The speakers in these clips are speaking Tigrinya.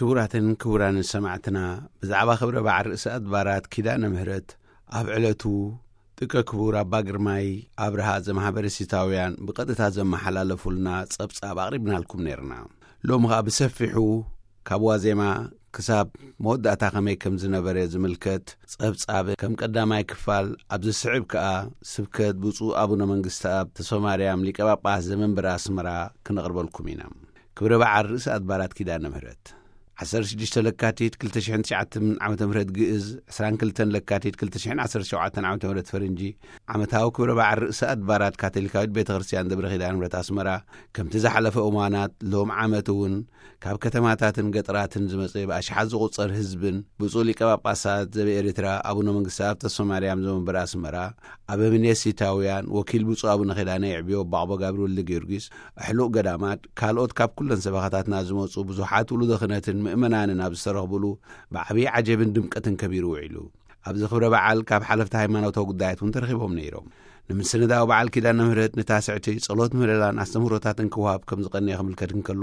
ክቡራትን ክቡራንን ሰማዕትና፣ ብዛዕባ ክብረ በዓል ርእሰ ኣድባራት ኪዳነ ምህረት ኣብ ዕለቱ ጥቀ ክቡር ኣባ ግርማይ ኣብርሃ ዘማሕበረ ሲታውያን ብቐጥታ ዘመሓላለፉልና ጸብጻብ ኣቕሪብናልኩም ነይርና። ሎሚ ኸኣ ብሰፊሑ ካብ ዋዜማ ክሳብ መወዳእታ ከመይ ከም ዝነበረ ዝምልከት ጸብጻብ ከም ቀዳማይ ክፋል፣ ኣብ ዝስዕብ ከኣ ስብከት ብፁዕ ኣቡነ መንግስተኣብ ተስፋማርያም ሊቀ ጳጳስ ዘመንበረ ኣስመራ ክነቕርበልኩም ኢና። ክብረ በዓል ርእሰ ኣድባራት ኪዳነ ምህረት ዓሰርተ ሽዱሽተ ለካቲት ክልተ ሽሕን ትሽዓተን ዓመተ ምህረት ግእዝ፣ ዕስራን ክልተን ለካቲት ክልተ ሽሕን ዓሰርተ ሸውዓተን ዓመተ ምህረት ፈረንጂ፣ ዓመታዊ ክብረ በዓል ርእሰ ኣድባራት ካቶሊካዊት ቤተ ክርስቲያን ደብረ ኪዳነ ምህረት ኣስመራ፣ ከምቲ ዝሓለፈ እዋናት ሎም ዓመት እውን ካብ ከተማታትን ገጠራትን ዝመጸ ብኣሽሓት ዝቑጸር ህዝብን ብፁዕ ሊቀ ጳጳሳት ዘበኤሪትራ ኣቡነ መንግስተኣብ ተስፋ ማርያም ዘመንበረ ኣስመራ፣ ኣበምኔት ሲታውያን፣ ወኪል ብፁዕ ኣቡነ ኪዳነ የዕብዮ ኣቦ ጋብር ወልደ ጊዮርጊስ፣ ኣሕሉቕ ገዳማት፣ ካልኦት ካብ ኩለን ሰበኻታትና ዝመጹ ብዙሓት ውሉደ ክህነትን ምእመናንን ኣብ ዝተረኽብሉ፣ ብዓብዪ ዓጀብን ድምቀትን ከቢሩ ውዒሉ። ኣብዚ ክብረ በዓል ካብ ሓለፍቲ ሃይማኖታዊ ጉዳያት እውን ተረኺቦም ነይሮም። ንምስንዳው በዓል ኪዳነ ምህረት ንታስዕቲ ጸሎት ምህለላን ኣስተምህሮታትን ክወሃብ ከም ዝቐነየ ክምልከት እንከሎ፣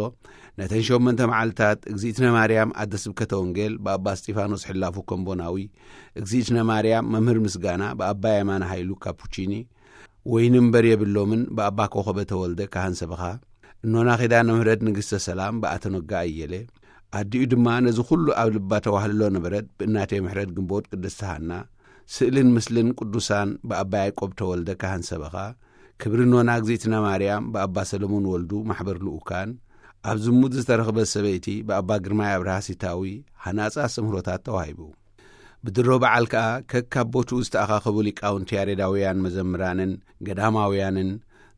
ነተን ሸሞንተ መዓልታት፣ እግዚኣብትነ ማርያም ኣደ ስብከተ ወንጌል ብኣባ እስጢፋኖስ ሕላፉ ከምቦናዊ፣ እግዚኣብትነ ማርያም መምህር ምስጋና ብኣባ የማነ ሃይሉ ካፑቺኒ፣ ወይኒ እምበር የብሎምን ብኣባ ኮኸበ ተወልደ ካህን ሰበኻ፣ እኖና ኪዳነ ምህረት ንግስተ ሰላም ብኣተኖጋ ኣየለ፣ ኣዲኡ ድማ ነዚ ኩሉ ኣብ ልባ ተዋህልሎ ነበረት ብእናቴ ምሕረት ግንቦት ቅድስቲ ሃና፣ ስእልን ምስልን ቅዱሳን ብኣባ ያዕቆብ ተወልደ ካህን ሰበኻ፣ ክብሪ እኖና እግዚኣብትና ማርያም ብኣባ ሰለሞን ወልዱ ማሕበር ልኡካን፣ ኣብ ዝሙት ዝተረኽበት ሰበይቲ ብኣባ ግርማይ ኣብርሃ ሲታዊ ሃናጺ ኣስተምህሮታት ተዋሂቡ። ብድሮ በዓል ከኣ ከካብ ቦትኡ ዝተኣኻኸቡ ሊቃውንቲ ያሬዳውያን መዘምራንን ገዳማውያንን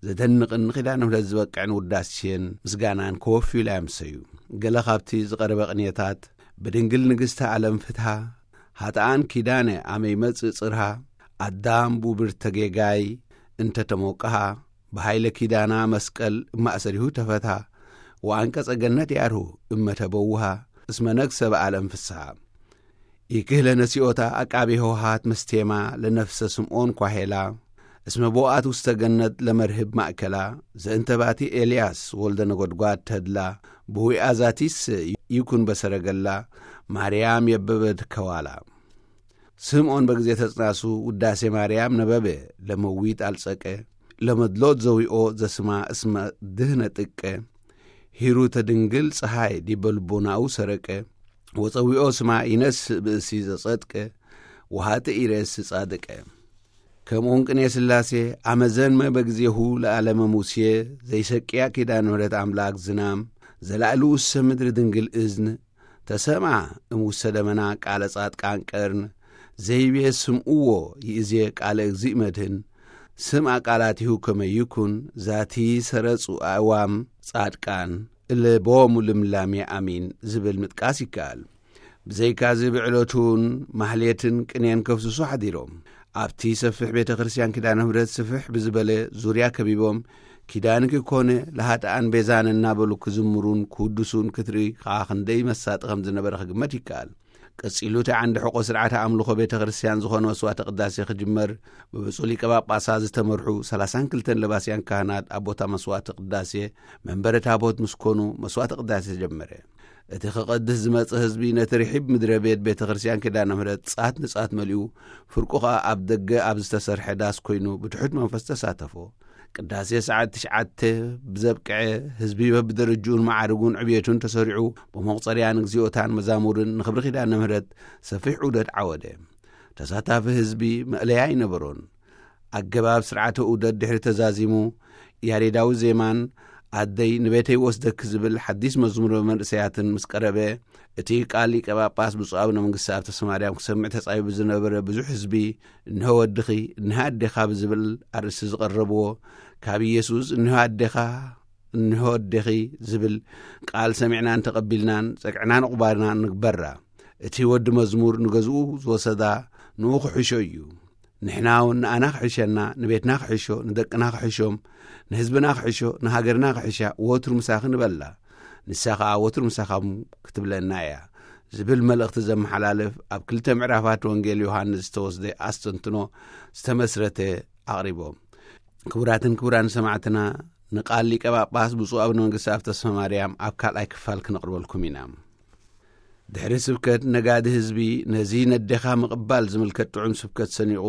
ዘደንቕን ንኪዳነ ምህረት ዝበቅዕን ውዳሴን ምስጋናን ከወፍዩላ የምሰዩ። ገለ ካብቲ ዝቐረበ ቅኔታት፣ ብድንግል ንግስቲ ዓለም ፍትሃ፣ ሃጥኣን ኪዳነ ኣመ ይመጽእ ጽርሃ፣ ኣዳም ቡብርተ ጌጋይ እንተ ተሞቅሃ፣ ብሃይለ ኪዳና መስቀል እማእሰሪሁ ተፈትሃ፣ ወኣንቀጸ ገነት ያርሁ እመ ተበውሃ፣ እስመ ነግሰ በዓለም ፍስሃ። ይክህለ ነሲኦታ ኣቃቤ ሆሃት መስቴማ ለነፍሰ ስምዖን ኳሄላ፣ እስመ ቦኣት ውስተ ገነት ለመርህብ ማእከላ፣ ዘእንተ ባቲ ኤልያስ ወልደ ነጎድጓድ ተድላ፣ ብዊኣ ዛቲስ ይኩን በሰረገላ፣ ማርያም የበበት ከዋላ። ስምዖን በግዜ ተጽናሱ ውዳሴ ማርያም ነበበ፣ ለመዊት ኣልጸቀ፣ ለመድሎት ዘዊኦ ዘስማ እስመ ድህነ ጥቀ፣ ሂሩተ ድንግል ጸሃይ ዲበ ልቦናኡ ሰረቀ፣ ወጸዊኦ ስማ ይነስእ ብእሲ ዘጸድቀ፣ ወሃጥእ ይሬስ ጻድቀ። ከምኡን ቅኔ ሥላሴ፣ ኣመዘንመ በግዜሁ ለዓለመ ሙሴ፣ ዘይሰቅያ ኪዳነ ምሕረት ኣምላክ ዝናም፣ ዘላዕሉ ውሰ ምድሪ ድንግል እዝን፣ ተሰምዓ እምውሰ ደመና ቃለ ጻድቃን ቀርን፣ ዘይቤ ስምዕዎ ይእዜ ቃለ እግዚእ መድህን፣ ስምዓ ቃላቲሁ ከመ ይኩን ዛቲ ሰረጹ ኣእዋም ጻድቃን እለ ቦሙ ልምላሜ ኣሚን ዝብል ምጥቃስ ይከኣል። ብዘይካዚ ብዕለቱን ማህሌትን ቅኔን ከፍስሱ ሓዲሮም። ኣብቲ ሰፊሕ ቤተ ክርስቲያን ኪዳነ ምሕረት ስፍሕ ብዝበለ ዙርያ ከቢቦም፣ ኪዳንኪ ኮነ ለሃጥኣን ቤዛን እናበሉ ክዝምሩን ክውድሱን ክትርኢ ከኣ ክንደይ መሳጢ ከም ዝነበረ ክግመት ይከኣል። ቀጺሉ እቲ ዓንዲ ሕቆ ስርዓተ ኣምልኾ ቤተ ክርስቲያን ዝኾነ መስዋዕተ ቅዳሴ ክጅመር፣ ብብፁዕ ሊቀ ጳጳሳት ዝተመርሑ ሰላሳን ክልተን ለባስያን ካህናት ኣብ ቦታ መስዋዕተ ቅዳሴ መንበረ ታቦት ምስ ኮኑ፣ መስዋዕተ ቅዳሴ ተጀመረ። እቲ ክቐድስ ዝመጸ ህዝቢ ነቲ ርሒብ ምድረ ቤት ቤተ ክርስቲያን ኪዳነ ምሕረት ጻት ንጻት መሊኡ፣ ፍርቁ ኸኣ ኣብ ደገ ኣብ ዝተሰርሐ ዳስ ኮይኑ ብትሑት መንፈስ ተሳተፎ። ቅዳሴ ሰዓት ትሽዓተ ብዘብቅዐ፣ ህዝቢ በብደረጅኡን መዓርጉን ዕብየቱን ተሰሪዑ፣ ብመቑጸርያ ንግዚኦታን መዛሙርን ንኽብሪ ኪዳነ ምሕረት ሰፊሕ ዑደት ዓወደ። ተሳታፊ ህዝቢ መእለያ ኣይነበሮን። ኣገባብ ስርዓተ ዑደት ድሕሪ ተዛዚሙ፣ ያሬዳዊ ዜማን ኣደይ ንቤተይ ወስደኪ ዝብል ሓዲስ መዝሙር መንእሰያትን ምስ ቀረበ፣ እቲ ቃል ሊቀ ጳጳስ ብፁዕ ኣቡነ መንግስቲ ኣብ ተስፋ ማርያም ክሰምዕ ተጻቢቡ ዝነበረ ብዙሕ ህዝቢ፣ "እንሆ ወድኺ፣ እንሆ ኣዴኻ" ብዝብል ኣርእስቲ ዝቐረብዎ፣ ካብ ኢየሱስ "እንሆ ኣዴኻ፣ እንሆ ኣዴኺ" ዝብል ቃል ሰሚዕናን ተቐቢልናን፣ ጸግዕናን ዕቑባናን ንግበራ። እቲ ወዲ መዝሙር ንገዝኡ ዝወሰዳ ንኡ ክሕሾ እዩ። ንሕና እውን ንኣና ክሕሸና፣ ንቤትና ክሕሾ፣ ንደቅና ክሕሾም፣ ንህዝብና ክሕሾ፣ ንሃገርና ክሕሻ ወትሩ ምሳኺ ንበላ። ንሳ ኸኣ ወትሩ ምሳኻም ክትብለና እያ ዝብል መልእኽቲ ዘመሓላልፍ ኣብ ክልተ ምዕራፋት ወንጌል ዮሃንስ ዝተወስደ ኣስተንትኖ ዝተመስረተ ኣቕሪቦም። ክቡራትን ክቡራን ሰማዕትና፣ ንቃል ሊቀ ጳጳስ ብፁዕ ኣቡነ መንግስቲ ኣብ ተስፋ ማርያም ኣብ ካልኣይ ክፋል ክነቕርበልኩም ኢና። ድሕሪ ስብከት ነጋዲ ህዝቢ ነዚ ነዴኻ ምቕባል ዝምልከት ጥዑም ስብከት ሰኒቑ፣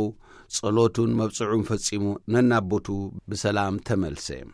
ጸሎቱን መብጽዑን ፈጺሙ ነናቦቱ ብሰላም ተመልሰ።